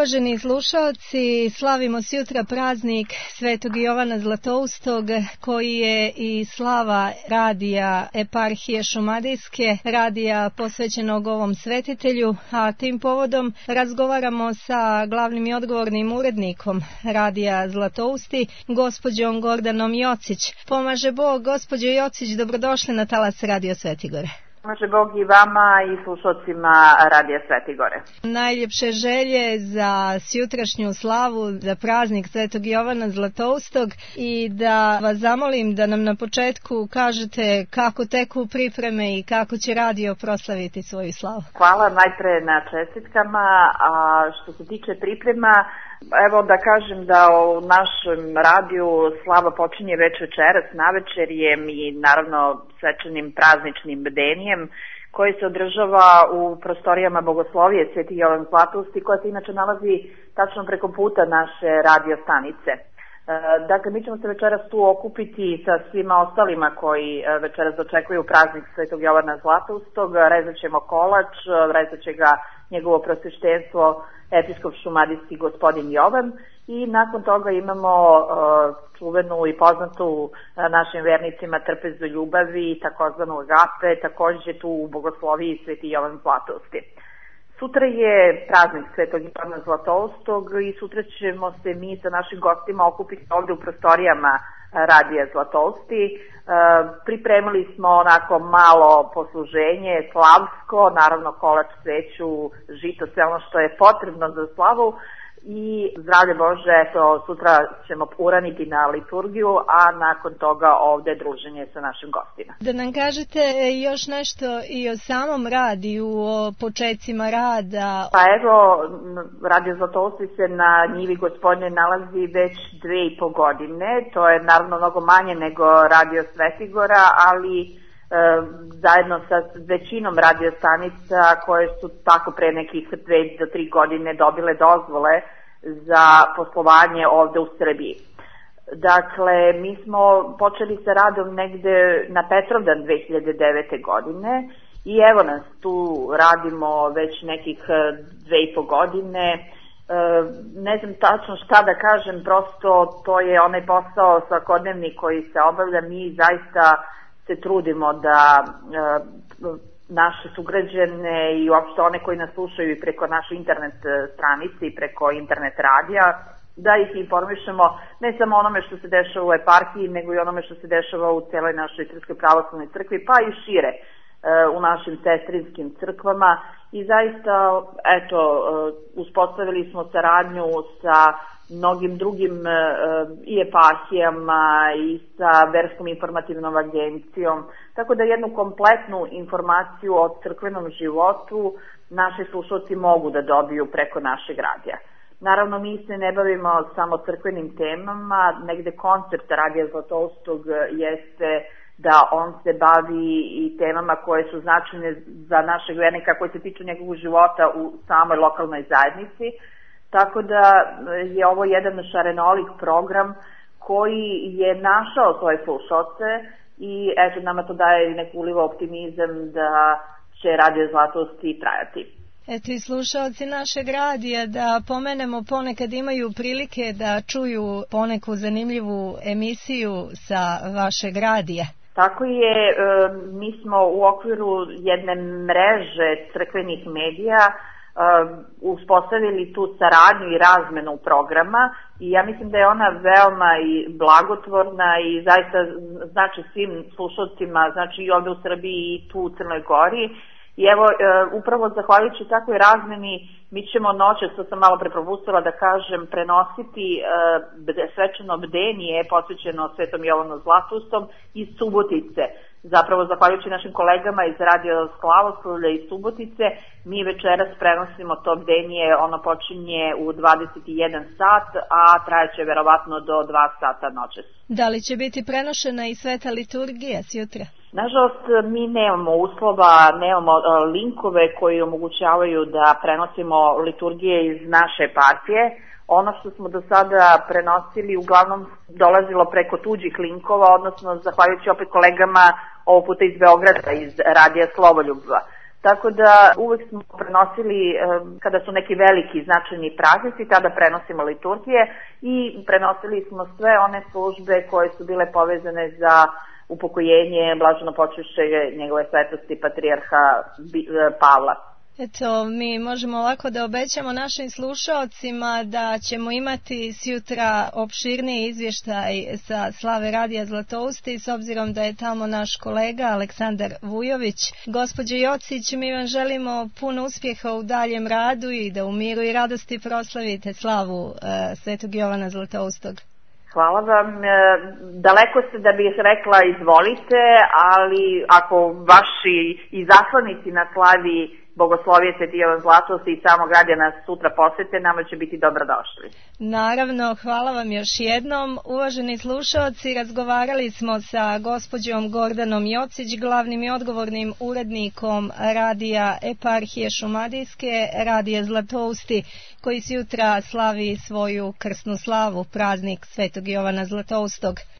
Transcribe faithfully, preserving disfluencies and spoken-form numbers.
Uvaženi slušalci, slavimo sjutra praznik Svetog Jovana Zlatoustog, koji je i slava radija Eparhije Šumadijske, radija posvećenog ovom svetitelju, a tim povodom razgovaramo sa glavnim i odgovornim urednikom radija Zlatousti, gospođom Gordanom Jocić. Pomaže Bog, gospođo Jocić, dobrodošli na talas Radio Svetigore. Pomaže Bog i vama i slušalcima Radija Svetigore. Najljepše želje za sjutrašnju slavu, za praznik Svetog Jovana Zlatoustog, i da vas zamolim da nam na početku kažete kako teku pripreme i kako će radio proslaviti svoju slavu. Hvala najpre na čestitkama, a što se tiče priprema, evo da kažem da u našem radiju slava počinje već večeras navečerjem i naravno svečanim prazničnim bdenijem koji se održava u prostorijama Bogoslovije Sveti Jovan Zlatousti, koja se inače nalazi tačno preko puta naše radio stanice. Dakle, mi ćemo se večeras tu okupiti sa svima ostalima koji večeras dočekuju praznik Svetog Jovana Zlatoustog. Rezat ćemo kolač, rezat će ga njegovo prosveštenstvo episkop šumadijski gospodin Jovan, i nakon toga imamo uh, čuvenu i poznatu uh, našim vernicima trpezu ljubavi, takozvanu agape, takođe tu u Bogosloviji Sveti Jovan Zlatousti. Sutra je praznik Svetog Jovana Zlatoustog i sutra ćemo se mi sa našim gostima okupiti ovde u prostorijama Radija Zlatousti. E, pripremili smo onako malo posluženje, slavsko, naravno kolač, sveću, žito, sve ono što je potrebno za slavu. I zdravlje Bože, eto, sutra ćemo uraniti na liturgiju, a nakon toga ovde druženje sa našim gostima. Da nam kažete još nešto i o samom radiju, o početcima rada. Pa evo, Radio Zlatousti se na njivi Gospodnje nalazi već dve i po godine. To je naravno mnogo manje nego Radio Svetigora, ali e, zajedno sa većinom radio stanica koje su tako pre nekih dve do tri godine dobile dozvole za poslovanje ovde u Srbiji. Dakle, mi smo počeli sa radom negde na Petrovdan dve hiljade devete. godine i evo nas tu radimo već nekih dve i po godine. E, ne znam tačno šta da kažem, prosto to je onaj posao svakodnevni koji se obavlja. Mi zaista se trudimo da e, naše sugrađane i uopšte one koji nas slušaju i preko naše internet stranice i preko internet radija, da ih informišemo ne samo onome što se dešava u eparhiji, nego i onome što se dešava u celoj našoj Srpskoj pravoslavnoj crkvi, pa i šire u našim sestrinskim crkvama. I zaista, eto, uspostavili smo saradnju sa mnogim drugim i eparhijama i sa Verskom informativnom agencijom, tako da jednu kompletnu informaciju o crkvenom životu naši slušalci mogu da dobiju preko našeg radija. Naravno, mi se ne bavimo samo crkvenim temama, negde koncept Radija Zlatoustog jeste da on se bavi i temama koje su značajne za našeg vernika, koje se tiču njegovog života u samoj lokalnoj zajednici. Tako da je ovo jedan šarenolik program koji je našao svoje slušalce i eto, nama to daje neku uliva optimizam da će Radio Zlatousti trajati. Eto, i slušalci našeg radija, da pomenemo, ponekad imaju prilike da čuju poneku zanimljivu emisiju sa vašeg radija. Tako je, mi smo u okviru jedne mreže crkvenih medija uspostavili tu saradnju i razmenu programa i ja mislim da je ona veoma i blagotvorna i zaista znači svim slušalcima, znači i ovde u Srbiji i tu u Crnoj Gori. I evo, upravo zahvaljujući takvoj razmeni, mi ćemo noćas, to sam malo pre propustila da kažem, prenositi svečano bdenije posvećeno Svetom Jovanu Zlatoustom iz Subotice. Zapravo, zahvaljujući našim kolegama iz Radio Slavoslavlja iz Subotice, mi večeras prenosimo to bdenije, ono počinje u dvadeset i jedan sat, a trajaće verovatno do dva sata noćas. Da li će biti prenošena i sveta liturgija sjutra? Nažalost, mi nemamo uslova, nemamo linkove koji omogućavaju da prenosimo liturgije iz naše eparhije. Ono što smo do sada prenosili uglavnom dolazilo preko tuđih linkova, odnosno zahvaljujući opet kolegama ovog puta iz Beograda, iz Radija Slovoljuba. Tako da uvek smo prenosili, kada su neki veliki značajni praznici, tada prenosimo liturgije i prenosili smo sve one službe koje su bile povezane za upokojenje, blaženo počivše njegove svetosti patrijarha Pavla. Eto, mi možemo lako da obećamo našim slušaocima da ćemo imati sjutra opširniji izvještaj sa slave Radija Zlatousti, s obzirom da je tamo naš kolega Aleksandar Vujović. Gospođo Jocić, mi vam želimo puno uspjeha u daljem radu i da u miru i radosti proslavite slavu uh, Svetog Jovana Zlatoustog. Hvala vam. Daleko ste da bih rekla izvolite, ali ako vaši izaslanici na slavi Bogoslovije Sveti Jovan Zlatousti i samog Radija nas sutra posete, nama će biti dobrodošli. Naravno, hvala vam još jednom. Uvaženi slušaoci, razgovarali smo sa gospođom Gordanom Jocić, glavnim i odgovornim urednikom Radija Eparhije Šumadijske, Radija Zlatousti, koji sutra slavi svoju krsnu slavu, praznik Svetog Jovana Zlatoustog.